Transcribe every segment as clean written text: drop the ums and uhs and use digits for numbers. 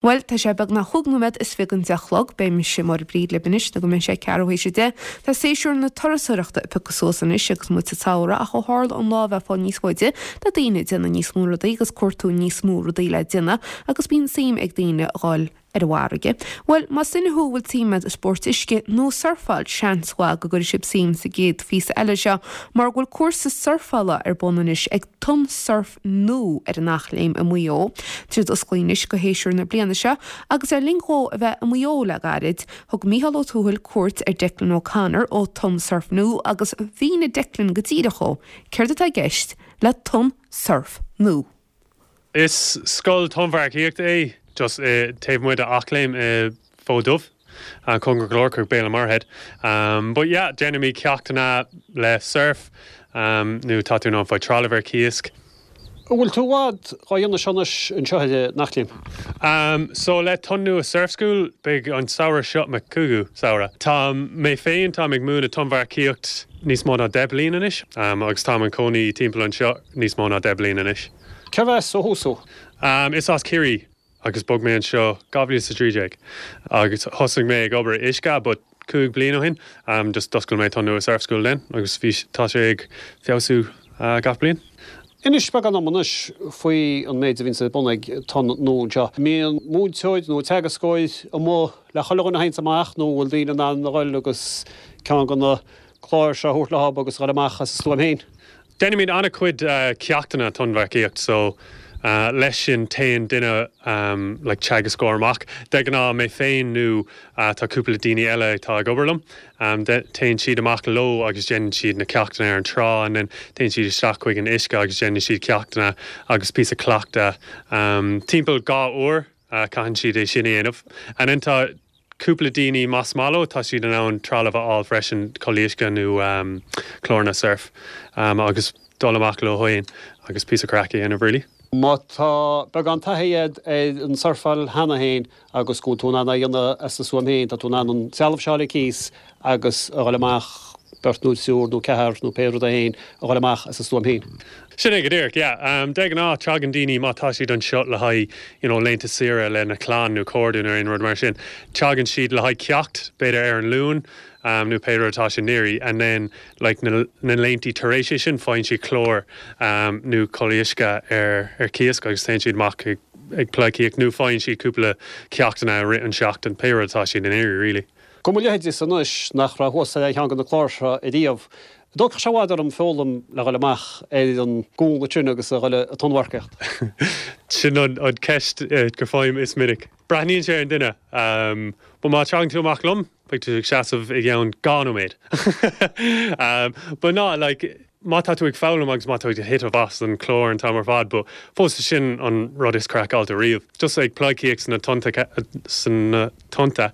Bhuel, tá sé beagnach chúig nóiméad is fiche don 10 a chlog. Beidh mise, Máire Bríd, libh anois nó go mbeidh sé ceathrú théis a 10. Tá séasúr na turasóireachta ag piocadh suas anois agus muid sa tsamhradh ach ó tharla an lá a bheith ag fáil níos faide, tá daoine ag déanamh níos mó rudaí agus cuartú níos mó rudaí le déanamh agus bíonn suim ag daoine a dhul ar an bhfarraige. Bhuel, más duine thú a bhfuil suim agat i spóirt uisce nó surfáil, seans mhaith go gcuirfidh sibh suim sa gcéad phíosa eile seo mar go bhfuil cúrsa surfála ar bun anois ag Tonn Surf Nua ar an Eachléim i Maigh Eo. Tá siad osclaithe anois go shéasúr na bliana seo agus le linn dhó a bheith i Maigh Eo le gairid, thug Mícheál Ó Tuathail cuairt ar Declan O'Connor ó Tonn Surf Nua agus mhínigh Declan go díreach dhó céard atá i gceist le Tonn Surf Nua. Is scoil tonnmharcaíochta é just taobh amuigh d'Eachléim i Fód Dubh, cóngarach go leor chuig Béal an Mhuirthead. But yeah, déanaimid ceachtanna le surf nó tá tú in ann fáil trealamh ar cíos. An bhfuil tú i bhfad dhá dhéanamh seo anois anseo ar an Eachléim? So le Tonn Nua Surf School, beidh an samhradh seo mo chúigiú samhradh. Tá mé féin, táim ag múineadh tonnmharcaíocht níos mó ná 10 bliain anois agus táim im chónaí timpeall anseo níos mó ná 10 bliain anois. Cérbh as ó thús thú? Is as Ciarraí agus bhog mé anseo 2013 agus thosaigh mé ag obair i uisce but 5 bliain ó shin just d'oscail mé Tonn Nua Surf School then agus bhí tá sé ag feabhsú gach bliain. Inis beagán dom anois faoi an méid a bhíonns ar bun ag Tonn Nua anseo. An mbíonn múinteoir nó teagascóir amuigh le chuile dhuine a théanns amach nó an bhfuil daoine in ann a dhul agus ceann de na cláir seo a thabhairt leo agus a dhul amach as a stuaim féin? Déanaimid an-chuid ceachtanna tonnmharcaíocht so leis sin téann duine like teagascóir amach, de ghnáth mé féin nó tá cúpla daoine eile atá ag obair liom, téann siad amach leo agus déanann siad na ceachtanna ar an trá and then téann siad isteach chuig an uisce agus déanann siad ceachtanna agus píosa cleachta timpeall 2 uair caitheann siad é sin a dhéanamh and then tá cúpla daoine más maith leo tá siad in ann trealamh a fháil freisin, culaith uisce nó cláranna surf agus dul amach leo féin agus píosa craic a dhéanamh really. Má tá beagán taithí agat ar an surfáil cheana féin agus go bhfuil tú in ann é a dhéanamh as do stuaim féin, tá tú in ann an trealamh seo a fháil ar cíos agus a dhul amach beirt nó triúr nó ceathrar nó pé rud é féin a dhul amach as a stuaim féin. Sin é go díreach, yeah. De ghnáth, tagann daoine, má tá siad anseo le haghaidh, you know, laethanta saoire lena clann nó cairde nó aon rud mar sin, tagann siad le haghaidh ceacht, b'fhéidir ar an Luan, nó pé rud atá siad ag iarraidh, and then, like, na, na laethanta tar éis é sin, faigheann siad clár, nó culaith uisce ar, ar cíos agus téann siad amach ag, ag pleidhcíocht nó faigheann siad cúpla ceachtanna i rith an seachtain, pé rud atá siad ag iarraidh, really. Do mo leithéidese anois nach raibh thuas ar aon cheann de na cláir seo ariamh, an dtógfadh sé i bhfad orm foghlaim le dhul amach ar an gcuan ansin agus a dhul ag tonnmharcaíocht? Sin an cheist go bhfaighim is minic. Breathnaíonn sé ar an duine. But má tagann tú amach liom, beidh tú ag seasamh i gceann 2 nóiméad. But ná, like, má tá tú ag foghlaim agus má tá tú ag titim as an chlár an t-am ar fad, but fós sin an rud is craiceáilte riamh. Just ag pleidhcíocht sna tonnta, sna tonnta,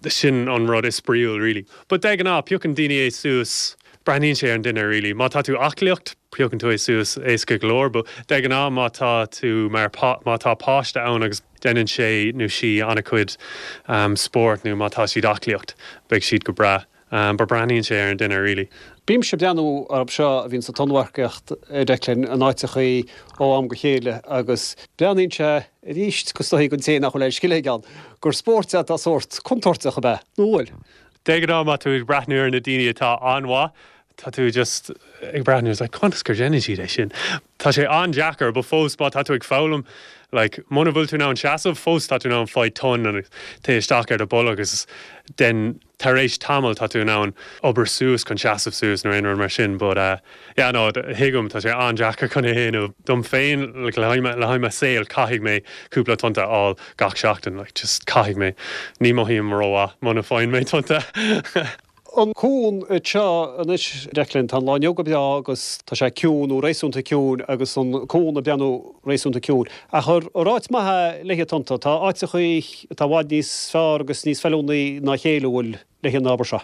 sin an rud is spraíúil really. But de ghnáth, piocann daoine é suas, breathnaíonn sé ar an duine really. Má tá tú aclaíocht, piocann tú é suas éasca go leor, but de ghnáth má tá tú mar, má tá páiste ann agus déanann sé nó sí an-chuid spóirt nó má tá siad aclaíocht, beidh siad go breá. But breathnaíonn sé ar an duine really. Bímse ag breathnú orthu seo a bhíonn ag tonnmharcaíocht, a Declan, in áiteachaí ó am go chéile agus breathnaíonn sé arís go is dóichí don té nach bhfuil aon scil aige ann, gur spórt é atá sórt contúirteach ab ea? Nó an bhfuil? De ghnáth má tá tú ag breathnú ar na daoine atá an-mhaith, tá tú just ag breathnú is like conas gur déanann siad é sin? Tá sé an-deacair but fós má tá tú ag foghlaim like muna bhfuil tú in ann seasamh fós tá tú in ann faigh tonn agus téigh isteach ar do bolg agus then tar éis tamaill tá tú in ann obair suas chun seasamh suas nó aon rud mar sin but eh yeah no thuigim tá sé an-deacair chun é a dhéanamh dom féin like le haghaidh le haghaidh mo saol caithfidh mé cúpla tonnta a fháil gach seachtain like just caithfidh mé ní mothaím rómhaith muna bhfaigheann mé tonnta. An cuan seo anois Declan tá an lá inniu go breá agus tá sé ciúin nó réasúnta ciúin agus an cuan ag breathnú réasúnta ciúin ach ar áit maith é le haghaidh tonnta tá áiteachaí atá i bhfad níos fearr agus níos feiliúnaí ná a chéile an bhfuil le haghaidh an obair seo.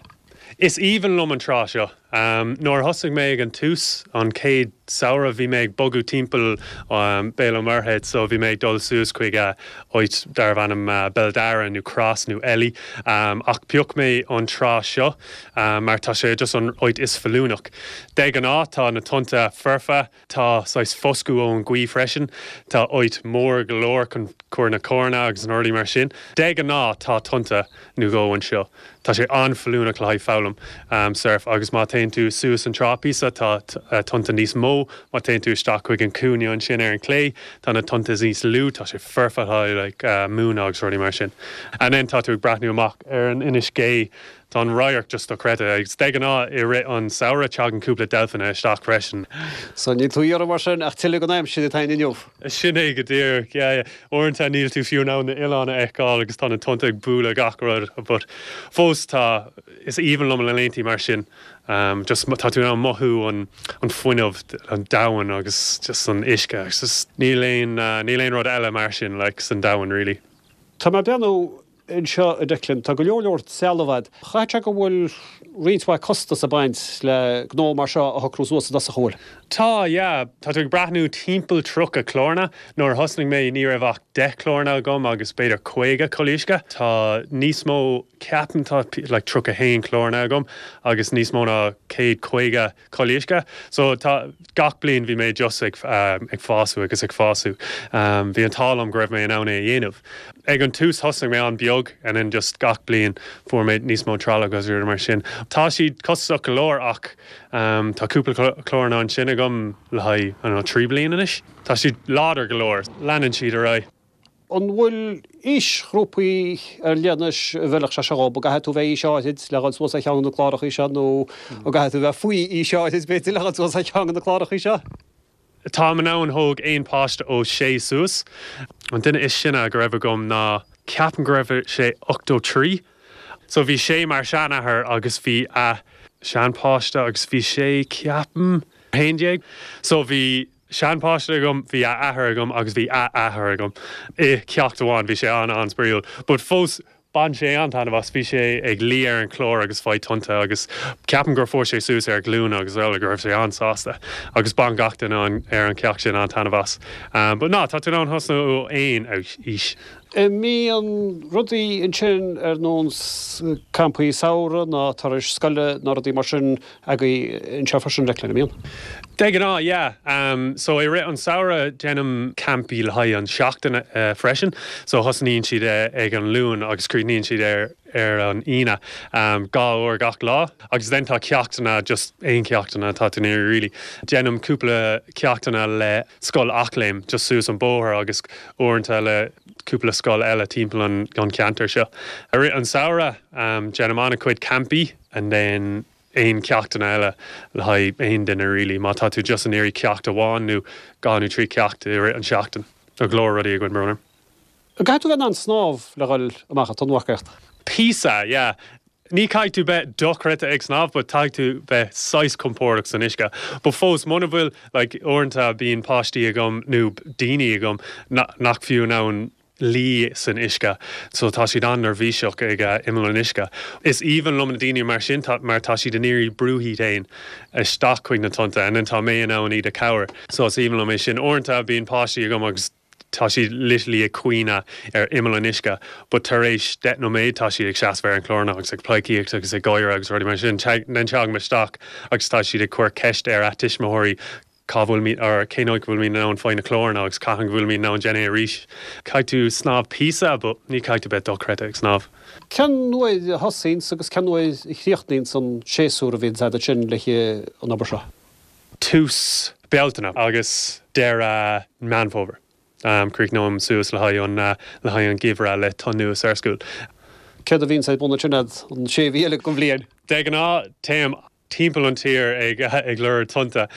Is aoibhinn liom an trá seo. Nuair a thosaigh mé ag an tús, an chéad samhradh, bhí mé ag bogadh timpeall Béal an Mhuirthead so bhí mé ag dul suas chuig áit darbh ainm Béal Dara nó Cross nó Elie ach phioc mé an trá seo mar tá sé just an áit is feiliúnach. De ghnáth tá na tonnta foirfe. Tá saghas foscadh ón ghaoth freisin. Tá áit mór go leor chun cur na carranna agus na rudaí mar sin. De ghnáth tá tonnta nó dhó anseo. Tá sé an-feiliúnach le haghaidh foghlaim surf agus má téann tú suas an trá píosa tá tonnta níos mó. Má téann tú isteach chuig an cúinne ansin ar an clé tá na tonnta níos lú. Tá sé foirfe le haghaidh like múineadh agus rudaí mar sin. And then tá tú ag breathnú amach ar an Inis Gé Tá an radharc just dochreidte agus de ghnáth i rith an samhradh teagann cúpla deilfeanna isteach freisin. So níl tú iarraidh mar sin ach tuilleadh den aimsir atá againn inniu. Sin é go díreach, yeah, yeah. Uaireanta níl tú fiú in ann na oileáin a fheiceáil agus tá na tonnta ag bualadh gach rud but fós tá, is aoibhinn liom na laethanta mar sin. Just tá tú in ann mothú an an fuinneamh, an domhan agus just an uisce agus just níl aon, níl aon rud eile mar sin like san domhan really. Tá mé ag breathnú Anseo, a Declan, tá go leor leor trealamh a'd. Chaithfeadh sé go bhfuil roinnt mhaith costas ag baint le gnó mar seo a shocrú suas i dtosach, an bhfuil? Tá, yeah. Tá tú ag breathnú timpeall 30 clárna. Nuair a thosnaigh mé ní raibh ach 10 clárna agam agus b'fhéidir 50 culaith uisce. Tá níos mó, ceapaim tá like 31 clárna agam agus níos mó ná 150 culaith uisce. So tá, gach bliain bhí mé just ag, ag fású agus ag fású. Bhí an t-ádh liom go raibh mé in ann é a dhéanamh. Ag an tús thosnaigh mé an-beag and then just gach bliain fuair mé níos mó trealamh agus rudaí mar sin. Tá siad costasach go leor ach tá cúpla clárna ansin agam le haghaidh, I don't know, 3 bliain anois. Tá siad láidir go leor. Leanann siad ar aghaidh. An bhfuil aoisghrúpaí ar leith anois a bhfeilfeadh sé seo dhób? An gcaithfidh tú bheith aois áithrid le dhul suas ar cheann de na clárachaí seo nó an gcaithfidh tú bheith faoi aois áithrid b'fhéidir le dhul suas ar cheann de na clárachaí seo? Táim in ann thóg aon páiste ó 6 suas. An duine is sine go raibh agam ná ceapaim go raibh sé 83. So bhí sé mar seanathair agus bhí a seanpháiste agus bhí sé ceapaim 11. So bhí seanpháiste agam, bhí a athair agam agus bhí a athair agam i ceacht amháin. Bhí sé an-an-spraíúil. But fós, bhain sé an-taitneamh as. Bhí sé ag luí ar an chlár agus fáil tonnta agus ceapaim gur fuair sé suas ar a ghlúine agus eile go raibh sé an-sásta. Agus bhain gach duine ar an cheacht sin an-taitneamh as. But ná, tá tú in ann thosnú ó aon aois. An mbíonn rudaí ansin ar nós campaí samhraidh ná turais scoile ná rudaí mar sin agaibh anseo freisin, Declan, an mbíonn? De ghnáth, yeah. So i rith an samhradh déanaim campaí le haghaidh an seachtain freisin. So thosnaíonn siad ag an Luan agus críochnaíonn siad ar ar an Aoine, 2 uair gach lá. Agus then tá ceachtanna, just aon cheachtanna atá tú in iarraidh really. Déanaim cúpla ceachtanna le Scoil Eachléim just suas an bóthar agus uaireanta le cúpla scoil eile timpeall an cheantair seo. I rith an samhradh déanaim an-chuid campaí and then aon cheachtanna eile le haghaidh aon duine really má tá tú just in iarraidh ceacht amháin nó dhá nó trí cheacht i rith an seachtain. Tá go leor rudaí againn, brón orm. An gcaithfidh tú bheith in ann snámh le dhul amach ag tonnmharcaíocht? Píosa, yeah. Ní caithfidh tú bheith dochreidte ag snámh but caithfidh tú bheith saghas compordach san uisce. But fós, muna bhfuil, like, uaireanta bíonn páistí agam nó daoine agam nach fiú in ann luí san uisce so tá siad an-neirbhíseach ag imeall an uisce. Is aoibhinn liom na daoine mar sin mar tá siad in iarraidh brú iad féin isteach chuig na tonnta and then tá mé in ann iad a chabhair. So is aoibhinn liom é sin. Uaireanta bíonn páistí agam agus tá siad literally ag caoineadh ar imeall an uisce but tar éis 10 nóiméad tá siad ag seasamh ar an chlárna agus ag pleidhcíocht agus ag gáire agus rudaí mar sin. Then teagaim isteach agus tá siad ag cur ceist ar a tuismitheoirí cá bhfuil or cén áit go bhfuil mé in ann fáil na clárna agus cathain go bhfuil mé in ann déanamh é arís. Caithfidh tú snámh píosa but ní caithfidh tú bheith dochreidte ag snámh. Cén uair a thosaíonns agus cén uair a chríochnaíonns an séasúr a bhíonns agat ansin le an obair seo? Tús Bealtaine agus deireadh Meán Fómhair. Críochnóim suas le haghaidh an le haghaidh an geimhreadh le Tonn Nua Surf School. Céard a bhíonns ar bun ansin a'd an sé mhí eile den bhliain? De ghnáth téim timpeall an tír ag ag lorg tonnta.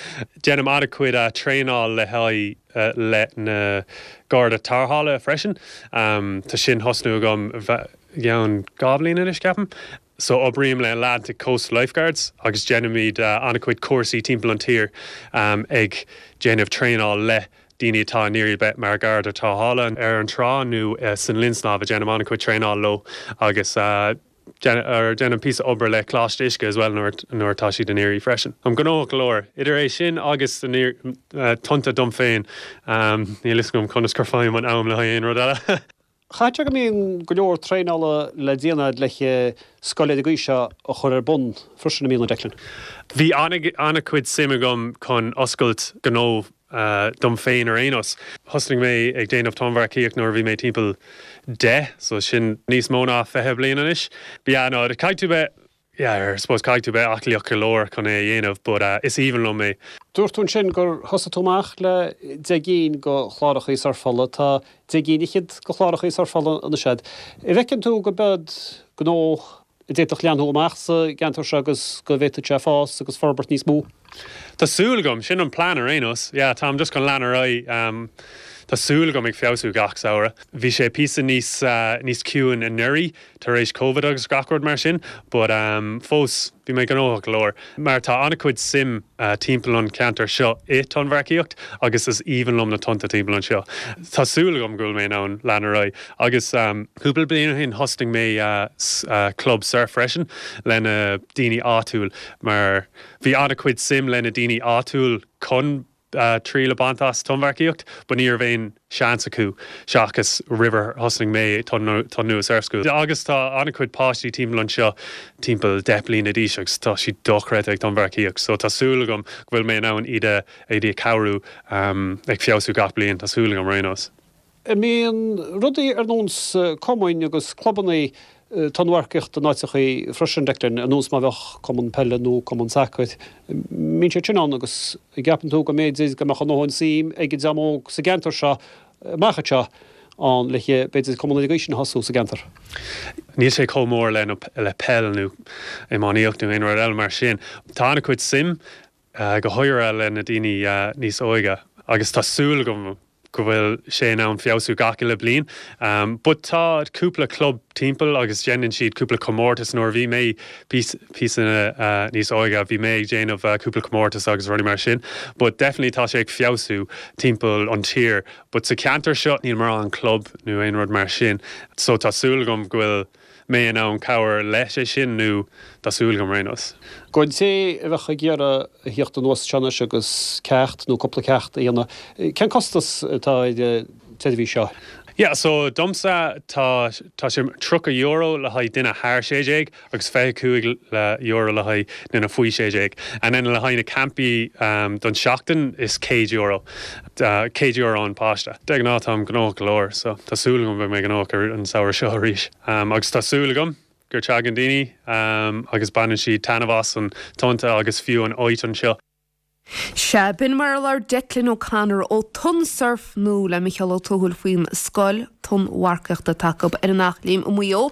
Déanaim an-chuid traenáil le haghaidh le na Garda Tarrthála freisin. Tá sin thosnú agam i gceann 2 bhliain anois ceapaim. So oibrím le Atlantic Coast Lifeguards agus déanaimid an-chuid cúrsaí timpeall an tír ag déanamh traenáil le daoine atá in iarraidh bheith mar Gharda Tarrthála ar an trá nó san linn snámha. Déanaim an-chuid traenáil leo agus. Déanaim píosa obair le Coláiste Uisce as well nuair nuair atá siad in iarraidh freisin. Táim gnóthach go leor, idir é sin agus tonnta dom féin, níl fhios agam conas gur faighim an am le haghaidh aon rud eile. Chaithfeadh sé go mbíonn go leor traenála le déanamh a'd le scoil ar an gcaoi seo a chur ar bun freisin, an mbíonn, a Declan? Bhí an-chuid suim agam chun oscailt gnó dom féin ar aon nós. Thosnaigh mé ag déanamh tonnmharcaíocht nuair a bhí mé timpeall 10, so sin níos mó ná 20 bliain anois. But yeah, no, caithfidh tú bheith, yeah, I suppose caithfidh tú bheith aclaíoch go leor chun é a dhéanamh, but is aoibhinn liom é. Dúirt tú ansin gur thosaigh tú amach le 10 gcinn de chlárachaí surfála. Tá 10 gcinn fhichead de chlárachaí surfála anois a'd. An bhfeiceann tú go b'eod gnó a d'fhéadfadh leathnú amach sa gceantar seo agus go bhféadfadh sé fás agus forbairt níos mó? Tá súil agam, sin an plean ar aon nós. Yeah, táim just chun lean ar aghaidh. Tá súil agam ag feabhsú gach samhradh. Bhí sé píosa níos níos ciúin anuraidh tar éis Covid agus gach rud mar sin, but fós bhí mé gnóthach go leor mar tá an-chuid suim timpeall an cheantar seo i tonnmharcaíocht agus is aoibhinn liom na tonnta timpeall anseo. Tá súil agam go bhfuil mé in ann lean ar aghaidh agus cúpla bliain ó shin thosnaigh mé club surf freisin le na daoine áitiúil mar bhí an-chuid suim le na daoine áitiúil chun triail a baint as tonnmharcaíocht but ní raibh aon seans acu seachas roimh ar thosnaigh mé Tonn Nua Surf School. Agus tá an-chuid páistí timpeall anseo timpeall 10 bliana d'aois agus tá siad dochreidte ag tonnmharcaíocht so tá súil agam go bhfuil mé in ann iad a iad a cabhrú ag feabhsú gach bliain, tá súil agam ar aon nós. An mbíonn rudaí ar nós cumainn agus clubannaí tonnmharcaíochta in áiteachaí freisin, Declan, ar nós má bheadh cumann peile nó cumann sacair, mbíonn siad sin ann agus an gceapann tú go mb'fhéidir go mbeadh a ndóthain suim ag an dream óg sa gceantar seo amach anseo ann le b'fhéidir cumann ar an gcaoi sin a thosú sa gceantar? Níl sé chomh mór le le peil nó iománaíocht nó aon rud eile mar sin. Tá an-chuid suim go háirithe le na daoine níos óige agus tá súil agam go bhfuil sé in ann feabhsú gach uile bliain. But tá cúpla club timpeall agus déanann siad cúpla comórtas. Nuair a bhí mé píosa níos óige bhí mé ag déanamh cúpla comórtas agus rudaí mar sin. But definitely tá sé ag feabhsú timpeall an tír. But sa ceantar seo níl mórán club nó aon rud mar sin. So tá súil agam go bhfuil mé in ann cabhair leis é sin nó tá súil agam ar aon nós. Don té a bheadh ag iarraidh a thíocht anuas anseo anois agus ceacht nó cúpla ceacht a dhéanamh, cén costas atá ar an tseirbhís seo? Yeah, so domsa tá tá sé €30 le haghaidh duine thar 16 agus €25 le haghaidh duine faoi 16. And then le haghaidh na campaí don seachtain is €100. €100 an páiste. De ghnáth táim gnóthach go leor so tá súil agam beidh mé gnóthach ar an samhradh seo arís. Agus tá súil agam gur teagann daoine agus baineann siad taitneamh as an tonnta agus fiú an áit anseo. Sea, b'in mar a labhair Declan O'Connor ó Tonn Surf Nua le Micheál Ó Tuathail faoin scoil tonnmharcaíochta atá acu ar an Eachléim i Maigh Eo.